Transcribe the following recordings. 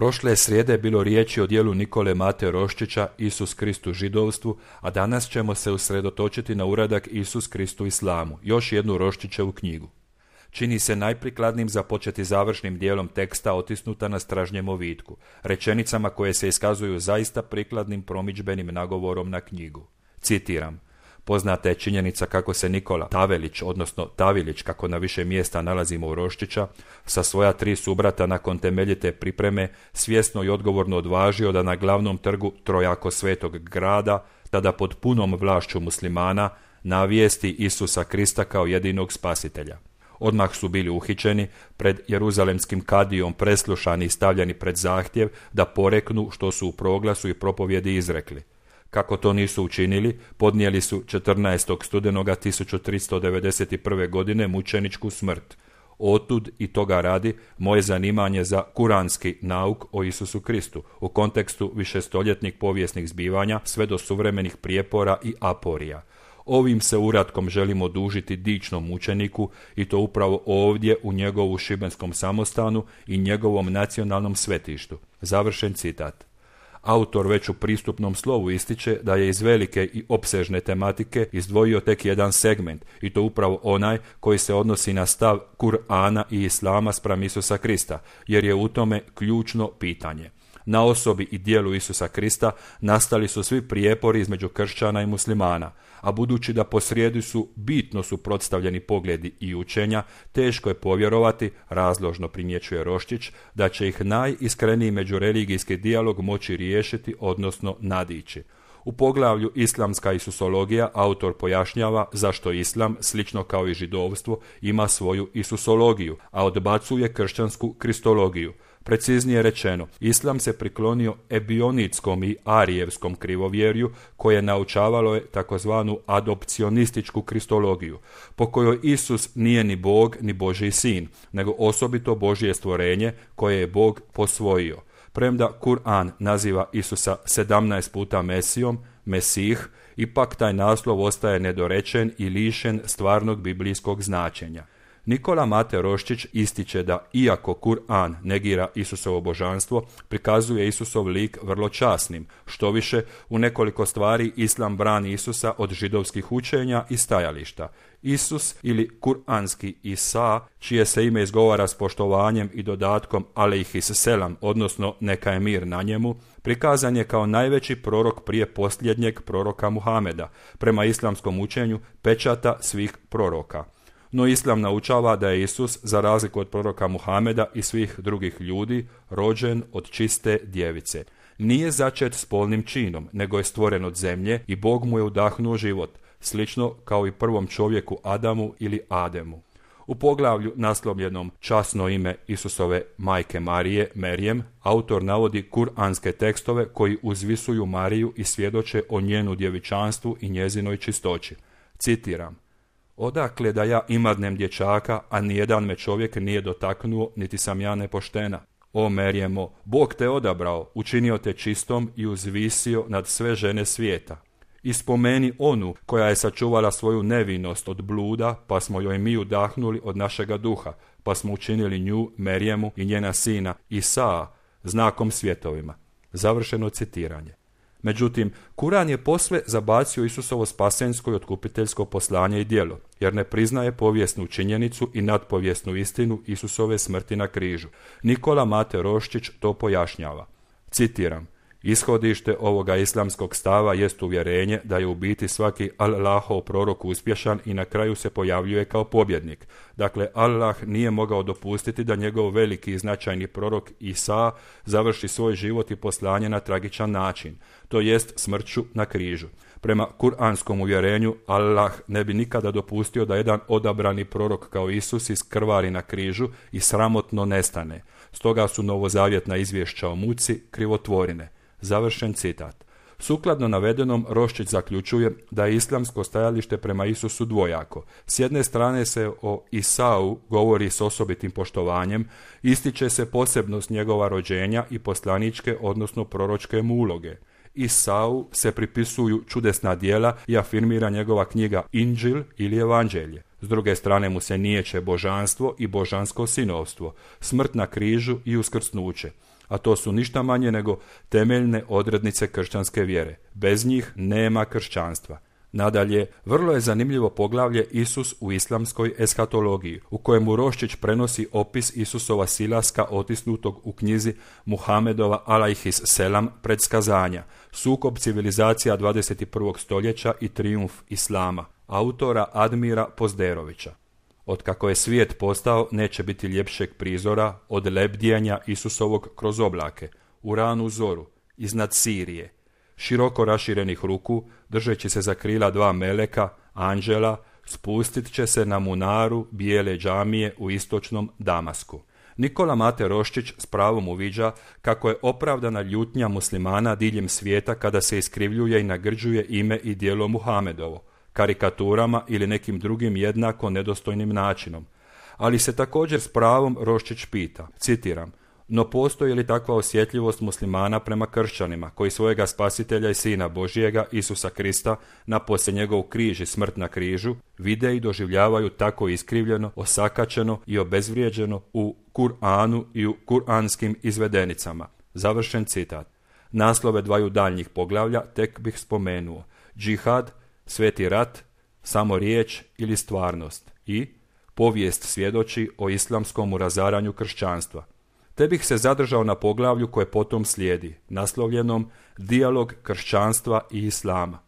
Prošle srijede je bilo riječi o djelu Nikole Mate Roščića Isus Krist u židovstvu, a danas ćemo se usredotočiti na uradak Isus Krist u islamu, još jednu Roščićevu knjigu. Čini se najprikladnim započeti završnim dijelom teksta otisnuta na stražnjem ovitku, rečenicama koje se iskazuju zaista prikladnim promidžbenim nagovorom na knjigu. Citiram: poznata je činjenica kako se Nikola Tavelić, odnosno Tavilić, kako na više mjesta nalazimo u Roščića, sa svoja 3 subrata nakon temeljite pripreme svjesno i odgovorno odvažio da na glavnom trgu trojako svetog grada, tada pod punom vlašću muslimana, navijesti Isusa Krista kao jedinog spasitelja. Odmah su bili uhićeni, pred jeruzalemskim kadijom preslušani i stavljani pred zahtjev da poreknu što su u proglasu i propovjedi izrekli. Kako to nisu učinili, podnijeli su 14. studenoga 1391. godine mučeničku smrt. Otud i toga radi moje zanimanje za kuranski nauk o Isusu Kristu u kontekstu višestoljetnih povijesnih zbivanja sve do suvremenih prijepora i aporija. Ovim se uratkom želimo odužiti dičnom mučeniku i to upravo ovdje u njegovu šibenskom samostanu i njegovom nacionalnom svetištu. Završen citat. Autor već u pristupnom slovu ističe da je iz velike i opsežne tematike izdvojio tek jedan segment, i to upravo onaj koji se odnosi na stav Kur'ana i Islama spram Isusa Krista, jer je u tome ključno pitanje. Na osobi i djelu Isusa Krista nastali su svi prijepori između kršćana i muslimana, a budući da posrijedi su bitno suprotstavljeni pogledi i učenja, teško je povjerovati, razložno primjećuje Roščić, da će ih najiskreniji međureligijski dijalog moći riješiti, odnosno nadići. U poglavlju Islamska isusologija autor pojašnjava zašto islam, slično kao i židovstvo, ima svoju isusologiju, a odbacuje kršćansku kristologiju. Preciznije rečeno, islam se priklonio ebionitskom i arijevskom krivovjerju koje naučavalo je takozvanu adopcionističku kristologiju, po kojoj Isus nije ni Bog ni Božji sin, nego osobito Božje stvorenje koje je Bog posvojio. Premda Kur'an naziva Isusa 17 puta Mesijom, Mesih, ipak taj naslov ostaje nedorečen i lišen stvarnog biblijskog značenja. Nikola Mate Roščić ističe da, iako Kur'an negira Isusovo božanstvo, prikazuje Isusov lik vrlo časnim. Štoviše, u nekoliko stvari islam brani Isusa od židovskih učenja i stajališta. Isus ili kuranski Isa, čije se ime izgovara s poštovanjem i dodatkom alejhis selam, odnosno neka je mir na njemu, prikazan je kao najveći prorok prije posljednjeg proroka Muhameda, prema islamskom učenju pečata svih proroka. No islam naučava da je Isus, za razliku od proroka Muhameda i svih drugih ljudi, rođen od čiste djevice. Nije začet spolnim činom, nego je stvoren od zemlje i Bog mu je udahnuo život, slično kao i prvom čovjeku Adamu ili Ademu. U poglavlju naslovljenom Časno ime Isusove majke Marije, Merijem, autor navodi kuranske tekstove koji uzvisuju Mariju i svjedoče o njenu djevičanstvu i njezinoj čistoći. Citiram: odakle da ja imadnem dječaka, a nijedan me čovjek nije dotaknuo, niti sam ja nepoštena. O Merijemo, Bog te odabrao, učinio te čistom i uzvisio nad sve žene svijeta. I spomeni onu koja je sačuvala svoju nevinost od bluda, pa smo joj mi udahnuli od našega duha, pa smo učinili nju, Merijemu i njena sina Isaa, znakom svjetovima. Završeno citiranje. Međutim, Kuran je posve zabacio Isusovo spasensko i otkupiteljsko poslanje i djelo, jer ne priznaje povijesnu činjenicu i nadpovijesnu istinu Isusove smrti na križu. Nikola Mate Roščić to pojašnjava. Citiram: ishodište ovoga islamskog stava jest uvjerenje da je u biti svaki Allahov prorok uspješan i na kraju se pojavljuje kao pobjednik. Dakle, Allah nije mogao dopustiti da njegov veliki i značajni prorok Isa završi svoj život i poslanje na tragičan način, to jest smrću na križu. Prema kuranskom uvjerenju, Allah ne bi nikada dopustio da jedan odabrani prorok kao Isus iskrvari na križu i sramotno nestane. Stoga su novozavjetna izvješća o muci krivotvorine. Završen citat. Sukladno navedenom, Roščić zaključuje da je islamsko stajalište prema Isusu dvojako. S jedne strane se o Isau govori s osobitim poštovanjem, ističe se posebnost njegova rođenja i poslaničke, odnosno proročke mu uloge. Isau se pripisuju čudesna djela i afirmira njegova knjiga Inđil ili Evanđelje. S druge strane mu se niječe božanstvo i božansko sinovstvo, smrt na križu i uskrsnuće. a to su ništa manje nego temeljne odrednice kršćanske vjere. Bez njih nema kršćanstva. Nadalje, vrlo je zanimljivo poglavlje Isus u islamskoj eskatologiji, u kojemu Roščić prenosi opis Isusova silaska otisnutog u knjizi Muhamedova alejhis selam predskazanja, sukob civilizacija 21. stoljeća i trijumf islama, autora Admira Pozderovića. Otkako je svijet postao, neće biti ljepšeg prizora od lebdjenja Isusovog kroz oblake, u ranu zoru, iznad Sirije, široko raširenih ruku, držeći se za krila dva meleka, anđela, spustit će se na munaru bijele džamije u istočnom Damasku. Nikola Mate Roščić s pravom uviđa kako je opravdana ljutnja muslimana diljem svijeta kada se iskrivljuje i nagrđuje ime i djelo Muhamedovo, karikaturama ili nekim drugim jednako nedostojnim načinom. Ali se također s pravom Roščić pita, citiram, no postoji li takva osjetljivost muslimana prema kršćanima, koji svojega spasitelja i sina Božijega, Isusa Krista, napose njegov križ i smrt na križu, vide i doživljavaju tako iskrivljeno, osakačeno i obezvrijeđeno u Kur'anu i u kur'anskim izvedenicama. Završen citat. Naslove dvaju daljnjih poglavlja tek bih spomenuo. Džihad, sveti rat, samo riječ ili stvarnost i povijest svjedoči o islamskom razaranju kršćanstva. Te bih se zadržao na poglavlju koje potom slijedi, naslovljenom Dijalog kršćanstva i islama.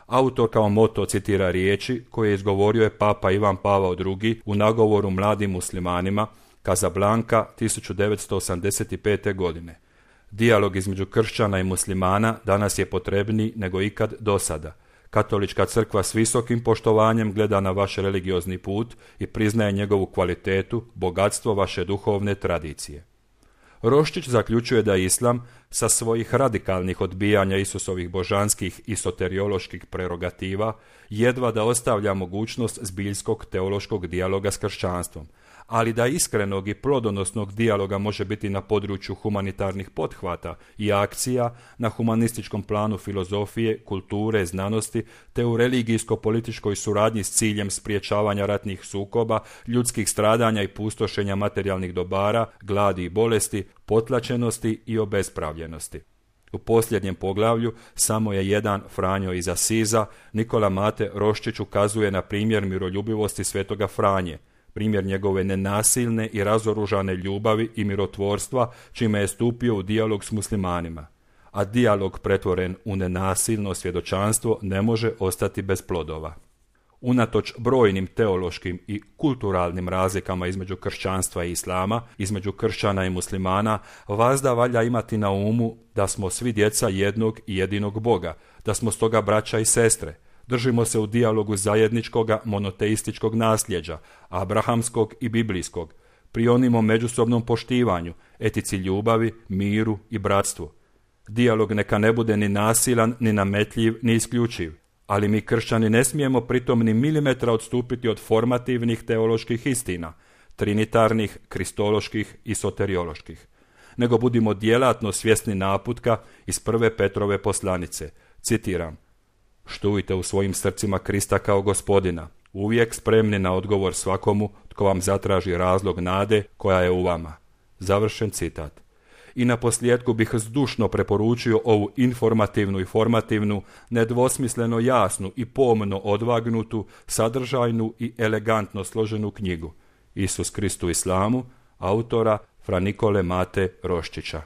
Autor kao moto citira riječi koje izgovorio je Papa Ivan Pavao II u nagovoru mladim muslimanima, Casablanca 1985. godine. Dijalog između kršćana i muslimana danas je potrebniji nego ikad dosada. Katolička crkva s visokim poštovanjem gleda na vaš religiozni put i priznaje njegovu kvalitetu, bogatstvo vaše duhovne tradicije. Roščić zaključuje da islam sa svojih radikalnih odbijanja Isusovih božanskih i soterioloških prerogativa jedva da ostavlja mogućnost zbiljskog teološkog dijaloga s kršćanstvom, ali da iskrenog i plodonosnog dijaloga može biti na području humanitarnih pothvata i akcija, na humanističkom planu filozofije, kulture, znanosti, te u religijsko-političkoj suradnji s ciljem spriječavanja ratnih sukoba, ljudskih stradanja i pustošenja materijalnih dobara, gladi i bolesti, potlačenosti i obespravljenosti. U posljednjem poglavlju samo je jedan Franjo iz Asiza, Nikola Mate Roščić ukazuje na primjer miroljubivosti svetoga Franje, primjer njegove nenasilne i razoružane ljubavi i mirotvorstva, čime je stupio u dijalog s muslimanima. A dijalog pretvoren u nenasilno svjedočanstvo ne može ostati bez plodova. Unatoč brojnim teološkim i kulturalnim razlikama između kršćanstva i islama, između kršćana i muslimana, vazda valja imati na umu da smo svi djeca jednog i jedinog Boga, da smo stoga braća i sestre. Držimo se u dijalogu zajedničkoga monoteističkog nasljeđa, abrahamskog i biblijskog, prionimo međusobnom poštivanju, etici ljubavi, miru i bratstvu. Dijalog neka ne bude ni nasilan, ni nametljiv, ni isključiv, ali mi kršćani ne smijemo pritom ni milimetra odstupiti od formativnih teoloških istina, trinitarnih, kristoloških i soterioloških, nego budimo djelatno svjesni naputka iz 1. Petrove poslanice, citiram, štujte u svojim srcima Krista kao Gospodina, uvijek spremni na odgovor svakomu tko vam zatraži razlog nade koja je u vama. Završen citat. I na posljedku bih zdušno preporučio ovu informativnu i formativnu, nedvosmisleno jasnu i pomno odvagnutu, sadržajnu i elegantno složenu knjigu Isus Krist u islamu, autora Fra Nikole Mate Roščića.